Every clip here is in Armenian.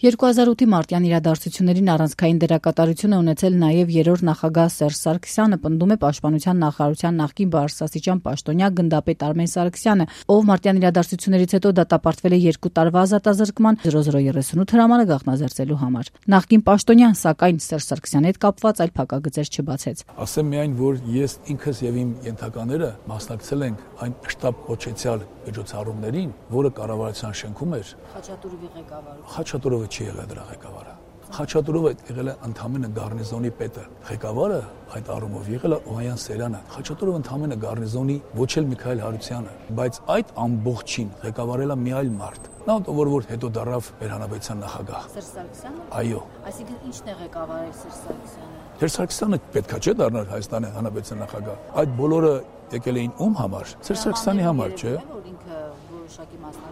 2008-ի մարտյան իրադարձություններին առանցքային դերակատարություն է ունեցել նաև երրորդ նախագահ Սերժ Սարգսյանը, պնդում է Պաշտպանության նախարարության նախկին բարձրաստիճան պաշտոնյա գնդապետ Արմեն Սարգսյանը, ով մարտյան իրադարձություններից հետո դատապարտվել է 2 տարվա ազատազրկման 0038 հրամանը գաղտնազերծելու համար։ Նախկին պաշտոնյան, սակայն Սերժ Սարգսյանի հետ կապված այլ փակագծեր չբացեց։ Ասեմ միայն, որ ես ինքս եւ իմ ենթակաները մասնակցել ենք այն շտաբ կոչեցյալ միջոցառումներին, որը կառավարության շենքում էր։ Խաչատուրովի ղեկավարը։ Խաչատուրովը չի եղել դրա ղեկավարը։ Խաչատուրովը եղել է ընդամենը գառնիզոնի պետը։ Ղեկավարը այդ առումով եղել է Օհանյան Սերյանը։ Խաչատուրովը ընդամենը գառնիզոնի ոչ էլ Միքայել Հարությունյանը, բայց այդ ամբողջին ղեկավարել է մի այլ մարդ։ Նա որ հետո դառավ մեր հանրապետության նախագահ։ Սերժ Սարգսյանը։ Այո։ Այսինքն ի՞նչն է ղեկավարել Սերժ Սարգսյանը։ Սերժ Սարգսյանը պետքա չէ դառնալ Հայաստանի հանրապետության նախագահ։ Այդ բոլորը եկել էին ում համար։ Սերժ Սարգսյանի համար, չէ՞։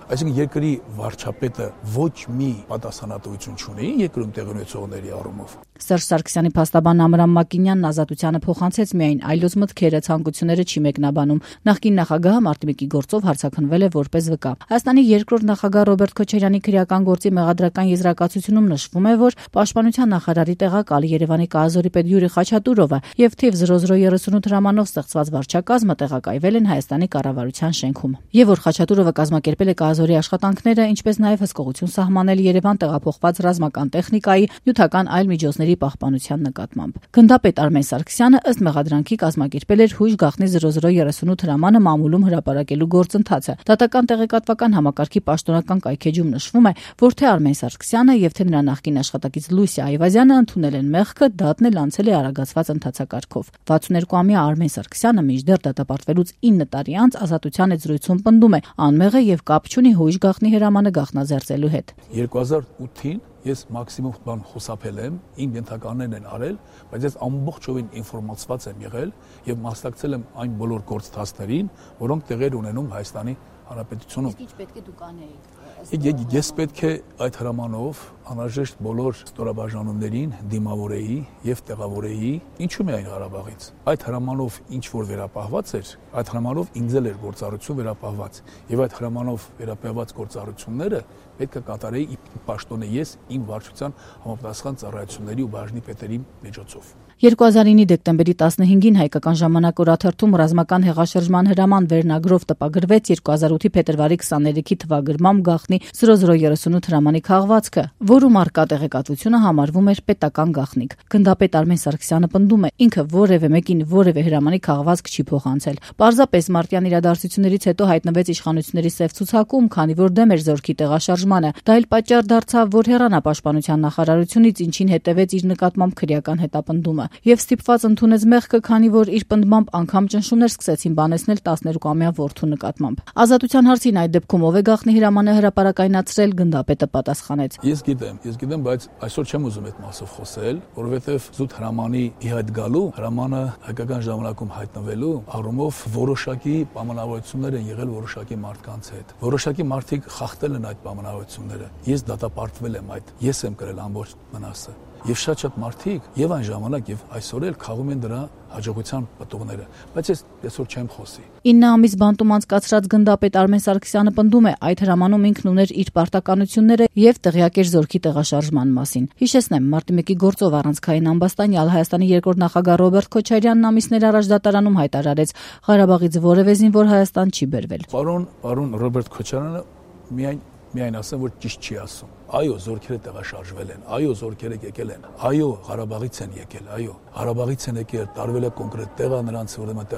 Այսինքն երկրի վարչապետը ոչ մի պատասխանատվություն չունի երկրում տեղի ունեցողների առումով։ Սերժ Սարգսյանի փաստաբան Ամրամ Մակինյանն Ազատությանը փոխանցեց միայն այլոց մտքերը, ցանկությունները չի մեկնաբանում։ Նախկին նախագահը մարտի գործով հարցաքննվել է որպես վկա։ Հայաստանի երկրորդ նախագահ Ռոբերտ Քոչարյանի քրեական գործի մեղադրական եզրակացությունում նշվում է, որ Պաշտպանության նախարարի տեղակալ Երևանի կազորի պետ Յուրի Խաչատուրովը եւ թիվ 0038 հրամանով ստեղծված վարչակազմը տեղակայվել են Հայաստանի կառավարության շենքում։ Եվ որ Խաչատուրովը կազմակերպել է կազորի աշխատանքները, ինչպես նաև հսկողություն սահմանել Երևան տեղափոխված ռազմական տեխնիկայի, նյութական այլ միջոցների պահպանության նկատմամբ։ Գնդապետ Արմեն Սարգսյանը ըստ մեղադրանքի կազմակերպել էր հույժ գաղտնի 0038 հրամանը մամուլում հրապարակելու գործընթացը։ Դատական տեղեկատվական համակարգի պաշտոնական կայքեջում նշվում է, որ թե Արմեն Սարգսյանը եւ թե նրա նախկին աշխատակից Լուսիա Այվազյանը ընդունել են մեղքը, դատն էլ անցել է արագացված ընթացակարգով։ 62-ամյա Արմեն Սարգսյանը մինչդեռ դատապարտվելուց 9 տարի անց Ազատության հետ զրույցում պնդում է, անմեղ է եւ կապ չունի հույժ գաղտնի հրամանը գաղտնազերծելու հետ։ 2008-ին ես մաքսիմում բան խոսափել եմ, իմ ենթականներն են արել, բայց ես ամբողջովին ինֆորմացված եմ եղել եւ մասնակցել եմ այն բոլոր գործընթացներին, որոնք տեղեր ունենում Հայաստանի Հանրապետությունում։ Իսկ ինչ պետք է դուք անեիք։ Ես պետք է այդ հրամանով անհրաժեշտ բոլոր ստորաբաժանումներին դիմավորեի եւ տեղավորեի, ինչու՞ միայն Ղարաբաղից։ Այդ հրամանով ինչ որ վերապահված էր, այդ հրամանով ինձ էլ էր գործառույթություն վերապահված եւ այդ հրամանով վերապահված գործառույթությունները պետք է կատարեի պաշտոնե ես իմ վարչության համապատասխան ծառայությունների ու բաժնի պետերի միջոցով։ 2009-ի դեկտեմբերի 15-ին Հայկական ժամանակ օրաթերթում ռազմական հեղաշրջման հրաման վերնագրով տպագրվեց 2008-ի փետրվարի 23-ի թվագրմամբ գաղտնի 0038 հրամանի քաղվածքը, որում առկա տեղեկատվությունը համարվում էր պետական գաղտնիք։ Գնդապետ Արմեն Սարգսյանը պնդում է, ինքը որևէ մեկին որևէ հրամանի քաղվածք չի փոխանցել։ Պարզապես մարտյան իրադարձություններից հետո հայտնվեց իշխանությունների սև ցուցակում, քանի որ դեմ էր զորքի տեղաշարժմանը։ Դա էլ պատճառ դարձավ, որ հեռանա Պաշտպանության նախարարությունից, ինչին հետևեց իր նկատմամբ քրեական հետապնդումը։ Եվ ստիպված ընդունեց մեղքը, քանի որ իր պնդմամբ անգամ ճնշումներ սկսեցին բանեցնել 12-ամյա որդու նկատմամբ։ Ազատության հարցին այդ դեպքում ով է գաղտնի հրամանը հրապարակայնացրել, գնդապետը պատասխանեց. Ես գիտեմ, բայց այսօր չեմ ուզում այդ մասով խոսել, որովհետև զուտ հրամանի իհայտ գալու, հրամանը հայկական ժամանակում հայտնվելու առումով որոշակի պայմանավորություններ են եղել որոշակի մարդկանց հետ։ Որոշակի մարդիկ խախտել են այդ պայմանավորությունները։ Ես դատապարտվել եմ այդ, ես եմ կրել ամբողջ մնացը։ Եվ շատ մարդիկ եւ այն ժամանակ եւ այսօր էլ խաղում են դրա հաջողության պատողները, բայց ես այսօր չեմ խոսի։ 9 ամիս բանտում անցկացրած գնդապետ Արմեն Սարգսյանը պնդում է, այդ հրամանում ինքն ուներ իր պարտականությունները եւ տեղյակ էր զորքի տեղաշարժման մասին։ Հիշեցնեմ, մարտի 1-ի գործով առանցքային ամբաստանյալ Հայաստանի երկրորդ նախագահ Ռոբերտ Քոչարյանն ամիսներ առաջ դատարանում հայտարարեց, Ղարաբաղից որևէ զինվոր Հայաստան չի բերվել։ Պարոն Ռոբերտ Քոչարյանը միայն ասեմ, որ ճիշտ չի ասում։ Այո, զորքերը տեղաշարժվել են, այո, զորքերը եկել են, այո, Ղարաբաղից են եկել, այո, Ղարաբաղից են եկել, տարվել է կոնկրետ տեղը նրանց, ուրեմն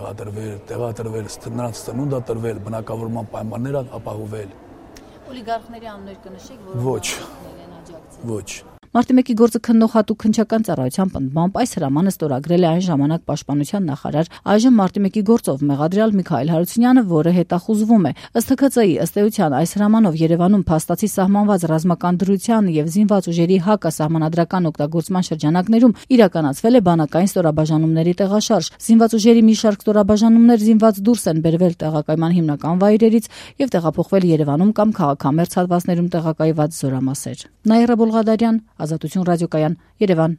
տեղադրվել, նրանց ծնունդը տրվել, բնակավորման պայմաններ ապահովել։ Օլիգարխների անուններ կնշեք, որոնք են աջակցել։ Ոչ։ Մարտի 1-ի գործը քննող հատուկ քննչական ծառայության պնդմամբ այս հրամանը ստորագրել է այն ժամանակ Պաշտպանության նախարար, այժմ մարտի 1-ի գործով մեղադրյալ Միքայել Հարությունյանը, որը հետախուզվում է։ Ըստ ՀՔԾ-ի, ըստ էության, այս հրամանով Երևանում փաստացի սահմանված ռազմական դրության եւ զինված ուժերի հակասահմանադրական օգտագործման շրջանակներում իրականացվել է բանակային ստորաբաժանումների տեղաշարժ։ Զինված ուժերի մի շարք ստորաբաժանումներ զինված դուրս են բերվել տեղակայման հիմնական վայրերից եւ տեղափոխվել Երևանում կամ քաղաքամերձ հատվածներում տեղակայված զորամասեր։ Նաիրա Բոլղադարյան, Ազատություն ռադիոկայան, Երևան։